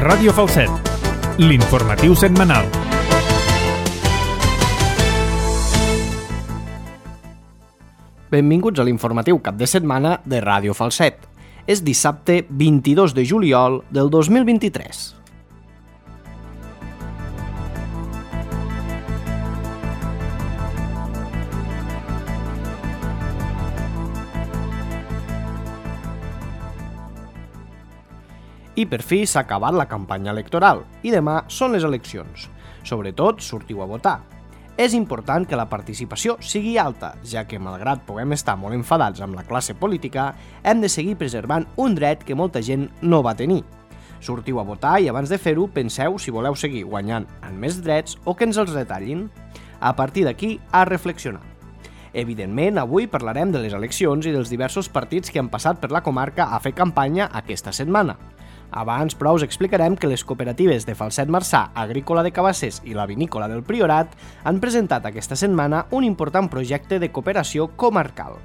Ràdio Falset, l'informatiu setmanal. Benvinguts a l'informatiu cap de setmana de Ràdio Falset. És dissabte 22 de juliol del 2023. I per fi s'ha acabat la campanya electoral i demà són les eleccions. Sobretot, sortiu a votar. És important que la participació sigui alta, ja que, malgrat puguem estar molt enfadats amb la classe política, hem de seguir preservant un dret que molta gent no va tenir. Sortiu a votar i abans de fer-ho penseu si voleu seguir guanyant amb més drets o que ens els retallin. A partir d'aquí, a reflexionar. Evidentment, avui parlarem de les eleccions i dels diversos partits que han passat per la comarca a fer campanya aquesta setmana. Abans, però, us explicarem que les cooperatives de Falset Marçà, Agrícola de Cabassers i la Vinícola del Priorat han presentat aquesta setmana un important projecte de cooperació comarcal.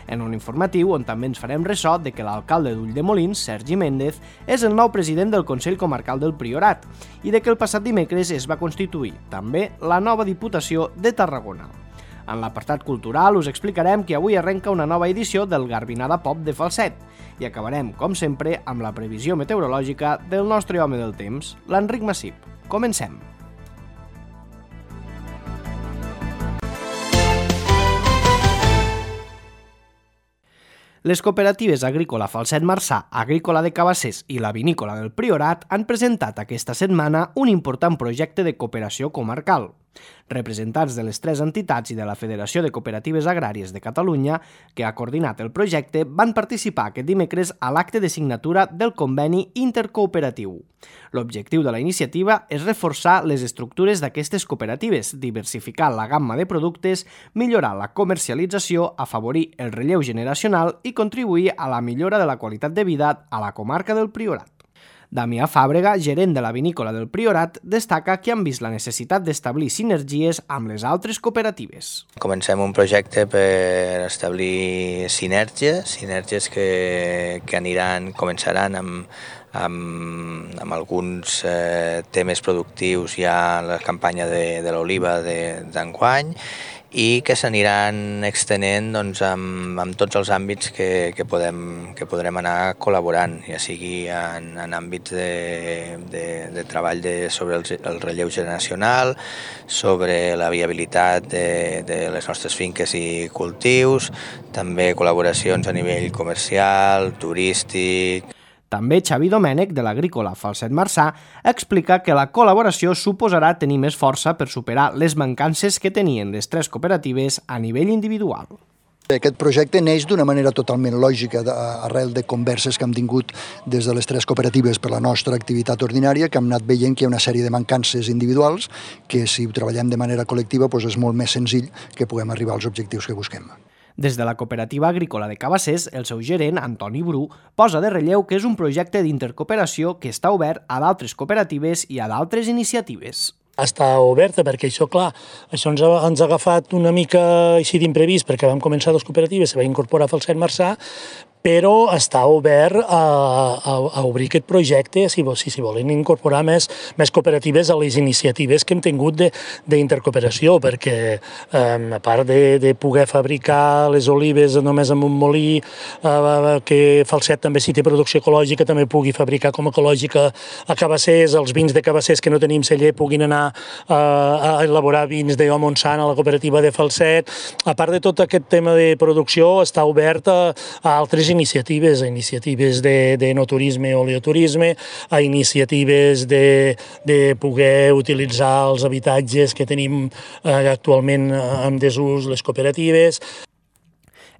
En un informatiu on també ens farem ressò de que l'alcalde d'Ulldemolins, Sergi Méndez, és el nou president del Consell Comarcal del Priorat i de que el passat dimecres es va constituir, també, la nova Diputació de Tarragona. En l'apartat cultural us explicarem que avui arrenca una nova edició del Garbinada Pop de Falset i acabarem, com sempre, amb la previsió meteorològica del nostre home del temps, l'Enric Massip. Comencem! Les cooperatives Agrícola Falset Marçà, Agrícola de Cabassers i la Vinícola del Priorat han presentat aquesta setmana un important projecte de cooperació comarcal. Representants de les tres entitats i de la Federació de Cooperatives Agràries de Catalunya, que ha coordinat el projecte, van participar aquest dimecres a l'acte de signatura del conveni intercooperatiu. L'objectiu de la iniciativa és reforçar les estructures d'aquestes cooperatives, diversificar la gamma de productes, millorar la comercialització, afavorir el relleu generacional i contribuir a la millora de la qualitat de vida a la comarca del Priorat. Damià Fàbrega, gerent de la Vinícola del Priorat, destaca que han vist la necessitat d'establir sinergies amb les altres cooperatives. Comencem un projecte per establir sinergies que començaran amb alguns temes productius ja en la campanya de l'oliva d'enguany i que s'aniran extenent amb tots els àmbits que podrem anar col·laborant, ja sigui en àmbits de treball sobre el relleu generacional, sobre la viabilitat de les nostres finques i cultius, també col·laboracions a nivell comercial, turístic. També Xavi Domènech, de l'Agrícola Falset Marçà, explica que la col·laboració suposarà tenir més força per superar les mancances que tenien les tres cooperatives a nivell individual. Aquest projecte neix d'una manera totalment lògica arrel de converses que hem tingut des de les tres cooperatives per la nostra activitat ordinària, que hem anat veient que hi ha una sèrie de mancances individuals que si ho treballem de manera col·lectiva és molt més senzill que puguem arribar als objectius que busquem. Des de la Cooperativa Agrícola de Cabassers, el seu gerent, Antoni Bru, posa de relleu que és un projecte d'intercooperació que està obert a d'altres cooperatives i a d'altres iniciatives. Està oberta perquè això, clar, això ens ha agafat una mica així d'imprevist perquè vam començar dues cooperatives, se va incorporar a Falset Marçà, però està obert a obrir aquest projecte si volen incorporar més cooperatives a les iniciatives que hem tingut d'intercooperació, perquè a part de poder fabricar les olives només amb un molí, que Falset també si té producció ecològica també pugui fabricar com ecològica a Cabassers, els vins de Cabassers que no tenim celler puguin anar a elaborar vins de Montsant a la cooperativa de Falset. A part de tot aquest tema de producció està obert a altres iniciatives de no-turisme o oleoturisme, a iniciatives de poder utilitzar els habitatges que tenim actualment en desús les cooperatives.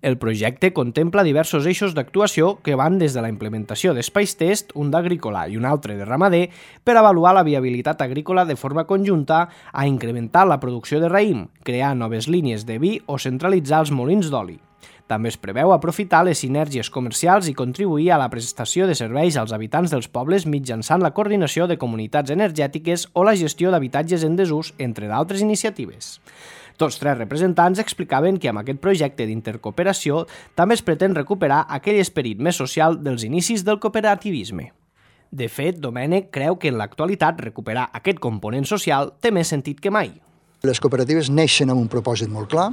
El projecte contempla diversos eixos d'actuació que van des de la implementació d'espais test, un d'agrícola i un altre de ramader, per avaluar la viabilitat agrícola de forma conjunta, a incrementar la producció de raïm, crear noves línies de vi o centralitzar els molins d'oli. També es preveu aprofitar les sinergies comercials i contribuir a la prestació de serveis als habitants dels pobles mitjançant la coordinació de comunitats energètiques o la gestió d'habitatges en desús, entre d'altres iniciatives. Tots tres representants explicaven que amb aquest projecte d'intercooperació també es pretén recuperar aquell esperit més social dels inicis del cooperativisme. De fet, Domènech creu que en l'actualitat recuperar aquest component social té més sentit que mai. Les cooperatives neixen amb un propòsit molt clar.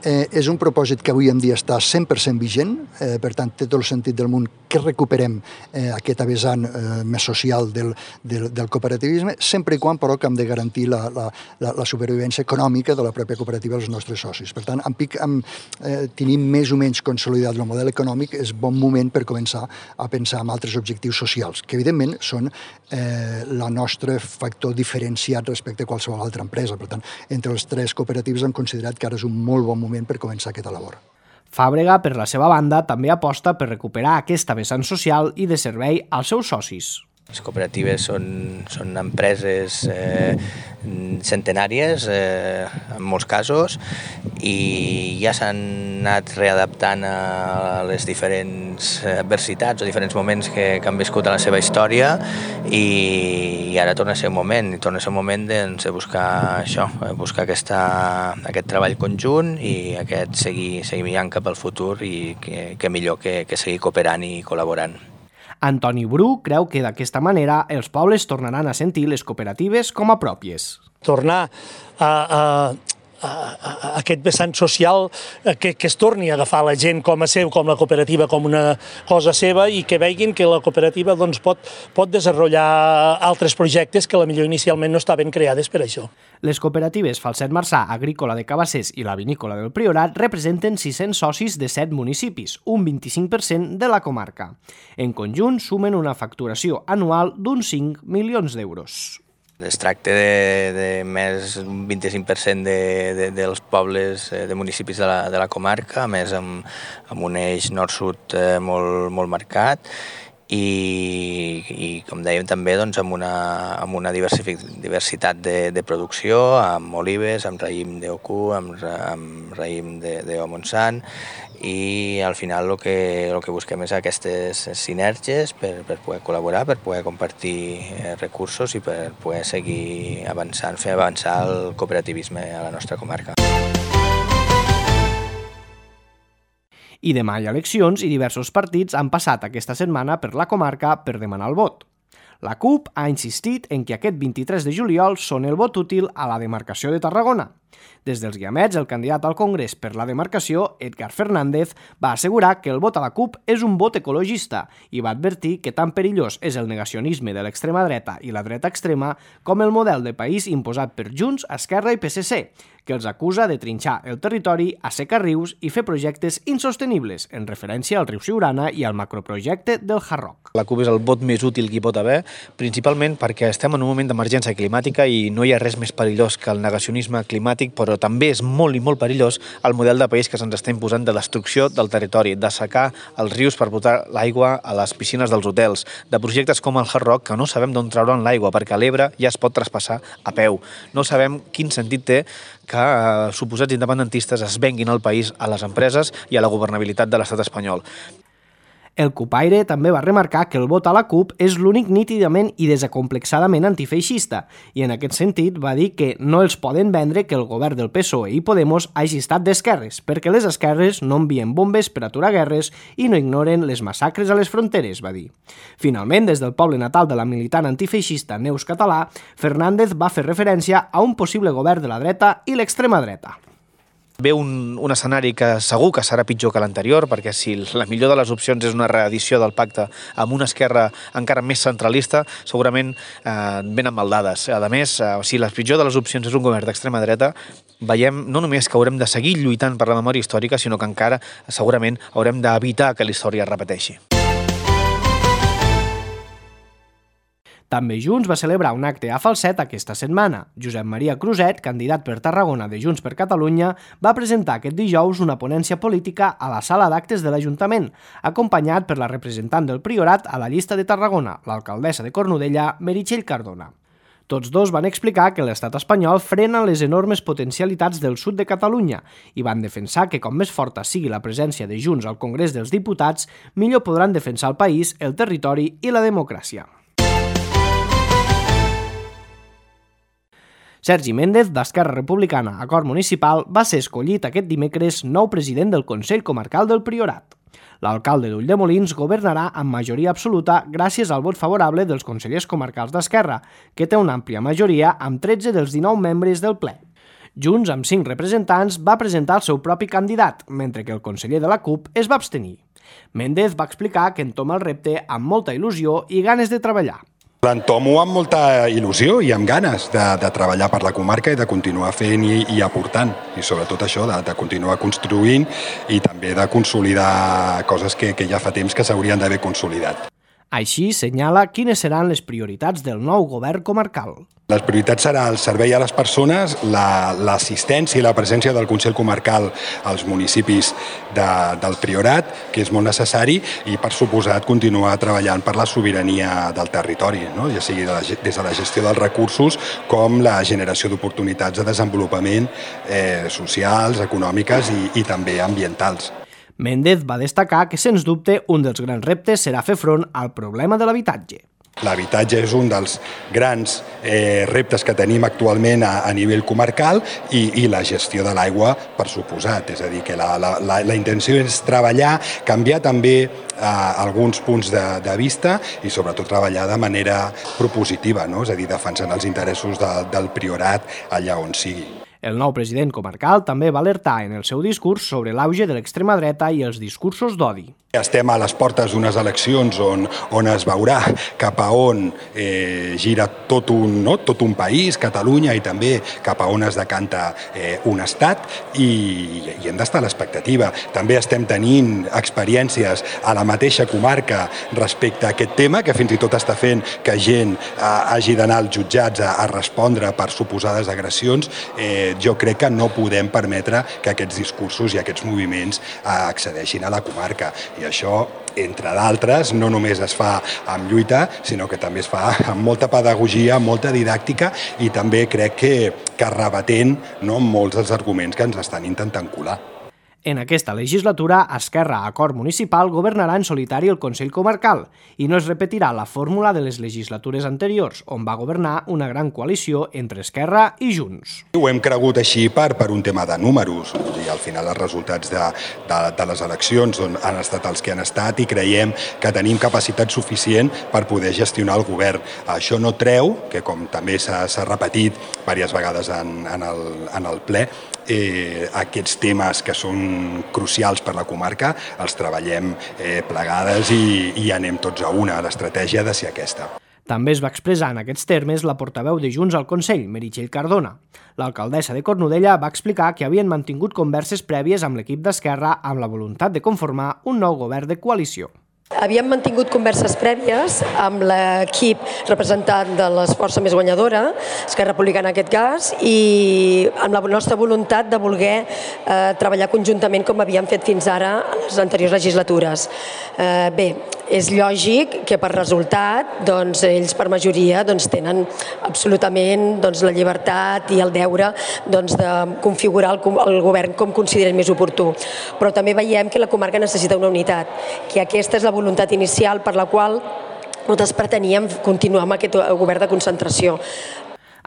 És un propòsit que avui en dia està 100% vigent, per tant, té tot el sentit del món que recuperem aquest vessant més social del cooperativisme, sempre i quan, però, que hem de garantir la supervivència econòmica de la pròpia cooperativa als nostres socis. Per tant, tenim més o menys consolidat el model econòmic, és bon moment per començar a pensar en altres objectius socials, que evidentment són el nostre factor diferenciat respecte a qualsevol altra empresa. Per tant, entre els tres cooperatives hem considerat que ara és un molt bon moment per començar aquesta labor. Fàbrega, per la seva banda, també aposta per recuperar aquesta vessant social i de servei als seus socis. Les cooperatives són empreses centenàries, en molts casos, i ja s'han anat readaptant a les diferents adversitats o diferents moments que han viscut a la seva història, i ara torna a ser un moment, de buscar això, buscar aquest treball conjunt i seguir mirant cap al futur, i que millor que seguir cooperant i col·laborant. Antoni Bru creu que d'aquesta manera els pobles tornaran a sentir les cooperatives com a pròpies. Tornar a aquest vessant social que es torni a agafar la gent com a seu, com la cooperativa, com una cosa seva, i que veguin que la cooperativa pot desenvolupar altres projectes que potser inicialment no estaven creades per això. Les cooperatives Falset Marçà, Agrícola de Cabassers i la Vinícola del Priorat representen 600 socis de 7 municipis, un 25% de la comarca. En conjunt sumen una facturació anual d'uns 5 milions d'euros. Es tracta de més d'un 25% dels pobles, de municipis de la comarca, a més amb un eix nord-sud molt marcat, i com dèiem també amb una diversitat de producció, amb olives, amb raïm d'Ocu, amb raïm d'O Montsant, i al final el que busquem és aquestes sinergies per poder col·laborar, per poder compartir recursos i per poder seguir avançant, fer avançar el cooperativisme a la nostra comarca. I demà hi ha eleccions i diversos partits han passat aquesta setmana per la comarca per demanar el vot. La CUP ha insistit en que aquest 23 de juliol són el vot útil a la demarcació de Tarragona. Des dels Guiamets, el candidat al Congrés per la demarcació, Edgar Fernández, va assegurar que el vot a la CUP és un vot ecologista i va advertir que tan perillós és el negacionisme de l'extrema dreta i la dreta extrema com el model de país imposat per Junts, Esquerra i PSC, que els acusa de trinxar el territori, assecar rius i fer projectes insostenibles, en referència al riu Siurana i al macroprojecte del Hard Rock. La CUP és el vot més útil que hi pot haver, principalment perquè estem en un moment d'emergència climàtica i no hi ha res més perillós que el negacionisme climàtic, però també és molt i molt perillós el model de país que se'ns està imposant de destrucció del territori, d'assecar els rius per portar l'aigua a les piscines dels hotels, de projectes com el Hard Rock que no sabem d'on trauran l'aigua perquè l'Ebre ja es pot traspassar a peu. No sabem quin sentit té que suposats independentistes es venguin el país a les empreses i a la governabilitat de l'estat espanyol. El cupaire també va remarcar que el vot a la CUP és l'únic nítidament i desacomplexadament antifeixista i en aquest sentit va dir que no els poden vendre que el govern del PSOE i Podemos hagi estat d'esquerres, perquè les esquerres no envien bombes per aturar guerres i no ignoren les massacres a les fronteres, va dir. Finalment, des del poble natal de la militant antifeixista Neus Català, Fernández va fer referència a un possible govern de la dreta i l'extrema dreta. Ve un escenari que segur que serà pitjor que l'anterior, perquè si la millor de les opcions és una reedició del pacte amb una esquerra encara més centralista, segurament venen maldades. A més, si la pitjor de les opcions és un govern d'extrema dreta, veiem no només que haurem de seguir lluitant per la memòria històrica, sinó que encara segurament haurem d'evitar que la història es repeteixi. També Junts va celebrar un acte a Falset aquesta setmana. Josep Maria Cruzet, candidat per Tarragona de Junts per Catalunya, va presentar aquest dijous una ponència política a la sala d'actes de l'Ajuntament, acompanyat per la representant del Priorat a la llista de Tarragona, l'alcaldessa de Cornudella, Meritxell Cardona. Tots dos van explicar que l'estat espanyol frena les enormes potencialitats del sud de Catalunya i van defensar que com més forta sigui la presència de Junts al Congrés dels Diputats, millor podran defensar el país, el territori i la democràcia. Sergi Méndez, d'Esquerra Republicana Acord Municipal, va ser escollit aquest dimecres nou president del Consell Comarcal del Priorat. L'alcalde d'Ulldemolins governarà amb majoria absoluta gràcies al vot favorable dels consellers comarcals d'Esquerra, que té una àmplia majoria amb 13 dels 19 membres del ple. Junts, amb 5 representants, va presentar el seu propi candidat, mentre que el conseller de la CUP es va abstenir. Méndez va explicar que entoma el repte amb molta il·lusió i ganes de treballar. L'entomo amb molta il·lusió i amb ganes de treballar per la comarca i de continuar fent i aportant. I sobretot això, de continuar construint i també de consolidar coses que ja fa temps que s'haurien d'haver consolidat. Així senyala quines seran les prioritats del nou govern comarcal. Les prioritats serà el servei a les persones, l'assistència i la presència del Consell Comarcal als municipis del Priorat, que és molt necessari, i per suposat continuar treballant per la sobirania del territori, no? Ja sigui des de la gestió dels recursos com la generació d'oportunitats de desenvolupament socials, econòmiques i també ambientals. Méndez va destacar que, sens dubte, un dels grans reptes serà fer front al problema de l'habitatge. L'habitatge és un dels grans reptes que tenim actualment a nivell comarcal i la gestió de l'aigua, per suposat. És a dir, que la intenció és treballar, canviar també alguns punts de vista i sobretot treballar de manera propositiva, no? És a dir, defensant els interessos del Priorat allà on sigui. El nou president comarcal també va alertar en el seu discurs sobre l'auge de l'extrema dreta i els discursos d'odi. Estem a les portes d'unes eleccions on es veurà cap a on gira tot un país, Catalunya, i també cap a on es decanta un estat, i hem d'estar a l'expectativa. També estem tenint experiències a la mateixa comarca respecte a aquest tema, que fins i tot està fent que gent hagi d'anar als jutjats a respondre per suposades agressions. Jo crec que no podem permetre que aquests discursos i aquests moviments accedeixin a la comarca. I això, entre d'altres, no només es fa amb lluita, sinó que també es fa amb molta pedagogia, amb molta didàctica i també crec que rebatent molts dels arguments que ens estan intentant colar. En aquesta legislatura, Esquerra Acord Municipal governarà en solitari el Consell Comarcal i no es repetirà la fórmula de les legislatures anteriors, on va governar una gran coalició entre Esquerra i Junts. Ho hem cregut així per un tema de números, i al final els resultats de les eleccions han estat els que han estat i creiem que tenim capacitat suficient per poder gestionar el govern. Això no treu, que com també s'ha repetit diverses vegades en el ple, aquests temes que són crucials per la comarca els treballem plegades i anem tots a una. L'estratègia ha de ser aquesta. També es va expressar en aquests termes la portaveu de Junts al Consell, Meritxell Cardona. L'alcaldessa de Cornudella va explicar que havien mantingut converses prèvies amb l'equip d'Esquerra amb la voluntat de conformar un nou govern de coalició. Havíem mantingut converses prèvies amb l'equip representant de les forces més guanyadora, Esquerra Republicana en aquest cas, i amb la nostra voluntat de voler treballar conjuntament com havíem fet fins ara en les anteriors legislatures. Bé, és lògic que per resultat ells per majoria tenen absolutament la llibertat i el deure de configurar el govern com consideren més oportú. Però també veiem que la comarca necessita una unitat, que aquesta és la voluntat inicial per la qual nosaltres preteníem continuar amb aquest govern de concentració.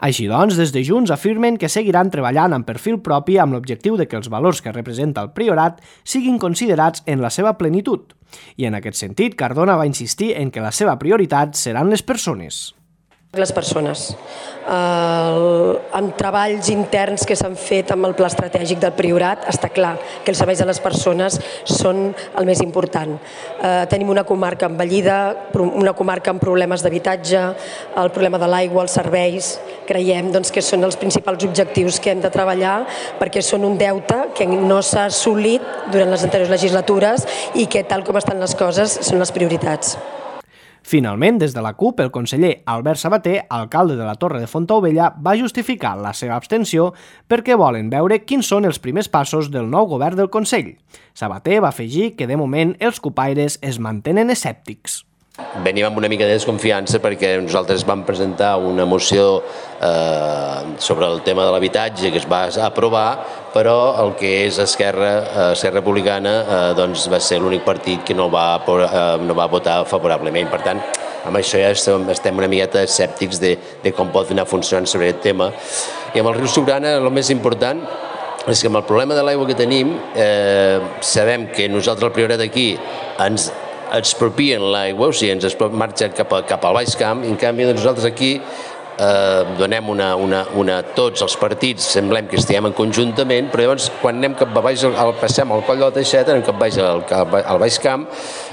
Així doncs, des de Junts afirmen que seguiran treballant amb perfil propi amb l'objectiu de que els valors que representa el Priorat siguin considerats en la seva plenitud. I en aquest sentit, Cardona va insistir en que la seva prioritat seran les persones. Les persones. Amb treballs interns que s'han fet amb el pla estratègic del Priorat, està clar que els serveis a les persones són el més important. Tenim una comarca envellida, una comarca amb problemes d'habitatge, el problema de l'aigua, els serveis. Creiem que són els principals objectius que hem de treballar perquè són un deute que no s'ha assolit durant les anteriors legislatures i que, tal com estan les coses, són les prioritats. Finalment, des de la CUP, el conseller Albert Sabater, alcalde de la Torre de Fontaubella, va justificar la seva abstenció perquè volen veure quins són els primers passos del nou govern del Consell. Sabater va afegir que, de moment, els cupaires es mantenen escèptics. Venim amb una mica de desconfiança perquè nosaltres vam presentar una moció sobre el tema de l'habitatge que es va aprovar, però el que és Esquerra Republicana va ser l'únic partit que no va votar favorablement. Per tant, amb això ja estem una miqueta escèptics de com pot anar funcionant sobre aquest tema. I amb el riu Siurana el més important és que amb el problema de l'aigua que tenim, sabem que nosaltres al Priorat aquí ens expropien l'aigua, o sigui, ens marxa cap al Baix Camp, i en canvi nosaltres aquí donem tots els partits, semblem que estiguem en conjuntament, però llavors quan anem cap a baix, passem al Coll de la Teixeta, anem cap baix al Baix Camp,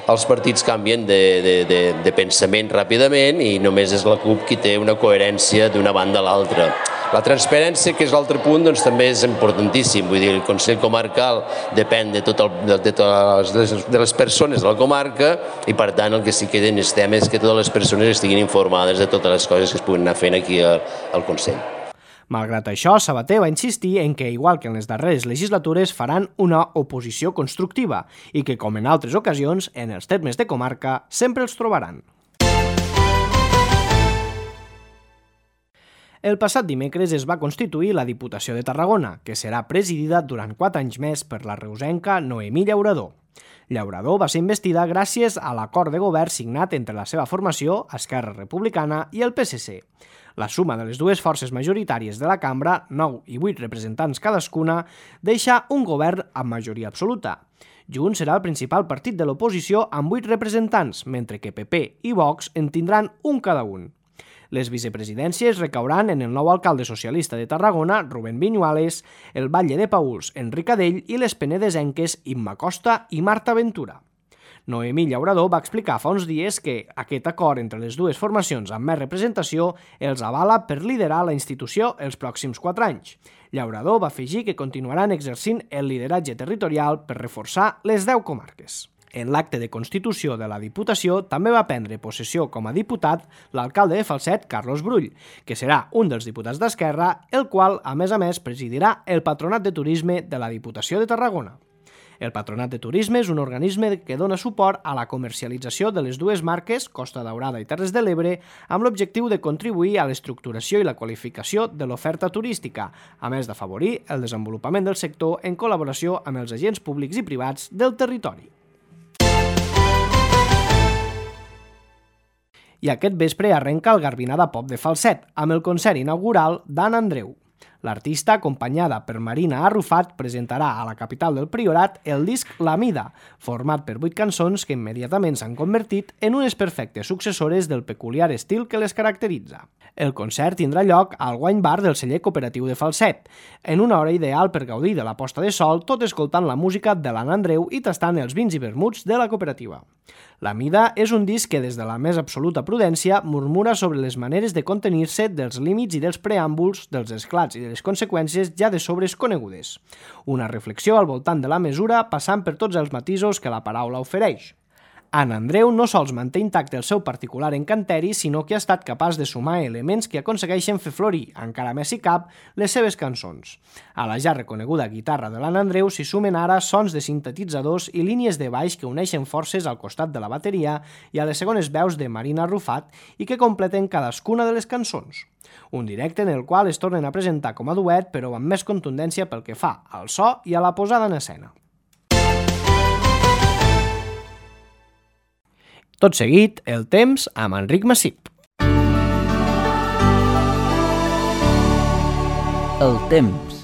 els partits canvien de pensament ràpidament i només és la CUP qui té una coherència d'una banda a l'altra. La transparència, que és l'altre punt, doncs també és importantíssim. Vull dir, el Consell Comarcal depèn de les persones de la comarca i, per tant, el que sí que necessitem és que totes les persones estiguin informades de totes les coses que es puguin anar fent aquí al Consell. Malgrat això, Sabater va insistir en que, igual que en les darreres legislatures, faran una oposició constructiva i que, com en altres ocasions, en els termes de comarca, sempre els trobaran. El passat dimecres es va constituir la Diputació de Tarragona, que serà presidida durant 4 anys més per la reusenca Noemí Llaurador. Llaurador va ser investida gràcies a l'acord de govern signat entre la seva formació, Esquerra Republicana, i el PSC. La suma de les dues forces majoritàries de la cambra, 9 i 8 representants cadascuna, deixa un govern amb majoria absoluta. Junts serà el principal partit de l'oposició amb 8 representants, mentre que PP i Vox en tindran un cada un. Les vicepresidències recauran en el nou alcalde socialista de Tarragona, Rubén Viñuales, el batlle de Pauls, Enric Adell, i les penedesenques Imma Costa i Marta Ventura. Noemí Llaurador va explicar fa uns dies que aquest acord entre les dues formacions amb més representació els avala per liderar la institució els pròxims 4 anys. Llaurador va afegir que continuaran exercint el lideratge territorial per reforçar les 10 comarques. En l'acte de constitució de la Diputació també va prendre possessió com a diputat l'alcalde de Falset, Carlos Brull, que serà un dels diputats d'Esquerra, el qual, a més, presidirà el Patronat de Turisme de la Diputació de Tarragona. El Patronat de Turisme és un organisme que dona suport a la comercialització de les dues marques, Costa Daurada i Terres de l'Ebre, amb l'objectiu de contribuir a l'estructuració i la qualificació de l'oferta turística, a més d'afavorir el desenvolupament del sector en col·laboració amb els agents públics i privats del territori. I aquest vespre arrenca el Garbinada Pop de Falset, amb el concert inaugural d'Anna Andreu. L'artista, acompanyada per Marina Arrufat, presentarà a la capital del Priorat el disc La Mida, format per 8 cançons que immediatament s'han convertit en unes perfectes successores del peculiar estil que les caracteritza. El concert tindrà lloc al Wine Bar del celler cooperatiu de Falset, en una hora ideal per gaudir de la posta de sol, tot escoltant la música de l'Anna Andreu i tastant els vins i vermuts de la cooperativa. La Mida és un disc que, des de la més absoluta prudència, murmura sobre les maneres de contenir-se, dels límits i dels preàmbuls, dels esclats i de les conseqüències ja de sobres conegudes. Una reflexió al voltant de la mesura, passant per tots els matisos que la paraula ofereix. Anna Andreu no sols manté intacte el seu particular encanteri, sinó que ha estat capaç de sumar elements que aconsegueixen fer florir, encara més si cap, les seves cançons. A la ja reconeguda guitarra de l'Anna Andreu s'hi sumen ara sons de sintetitzadors i línies de baix que uneixen forces al costat de la bateria i a les segones veus de Marina Arrufat i que completen cadascuna de les cançons. Un directe en el qual es tornen a presentar com a duet, però amb més contundència pel que fa al so i a la posada en escena. Tot seguit, el temps amb Enric Massip. El temps.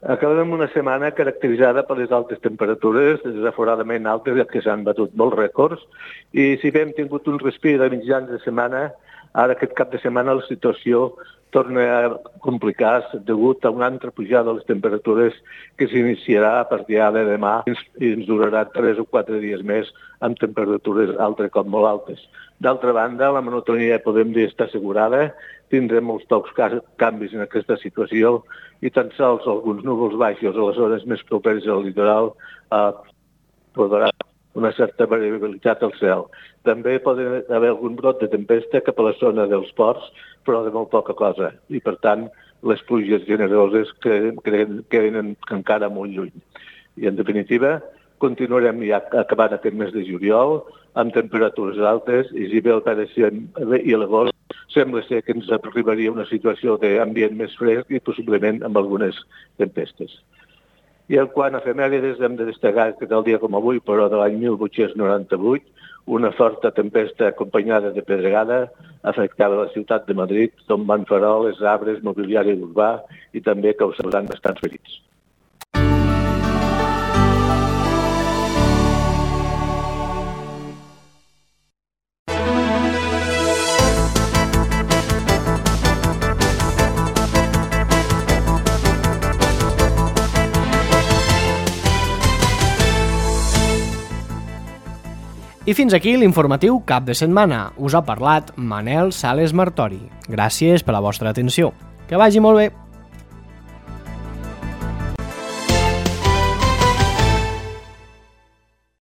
Acabem una setmana caracteritzada per les altes temperatures, desaforadament altes, que s'han batut molts rècords, i si bé hem tingut un respir de mitjans de setmana, ara aquest cap de setmana la situació torna a complicar-se degut a una altra pujada de les temperatures que s'iniciarà a partir de demà i ens durarà 3 o 4 dies més amb temperatures altre cop molt altes. D'altra banda, la monotonia, podem dir, està assegurada, tindrem molts pocs canvis en aquesta situació i tan sols alguns núvols baixos a les zones més properes al litoral podrà una certa variabilitat al cel. També pot haver algun brot de tempesta cap a la zona dels ports, però de molt poca cosa. I, per tant, les pluges generoses queden encara molt lluny. I, en definitiva, continuarem ja acabant aquest mes de juliol amb temperatures altes i si bé el pareixem i l'agost sembla ser que ens arribaria una situació d'ambient més fresc i possiblement amb algunes tempestes. I en quant a efemèrides hem de destacar que tal dia com avui, però de l'any 1898, una forta tempesta acompanyada de pedregada afectava la ciutat de Madrid, tombant faroles, arbres, mobiliari urbà i també causant bastants ferits. I fins aquí l'informatiu Cap de Setmana. Us ha parlat Manel Sales Martori. Gràcies per la vostra atenció. Que vagi molt bé!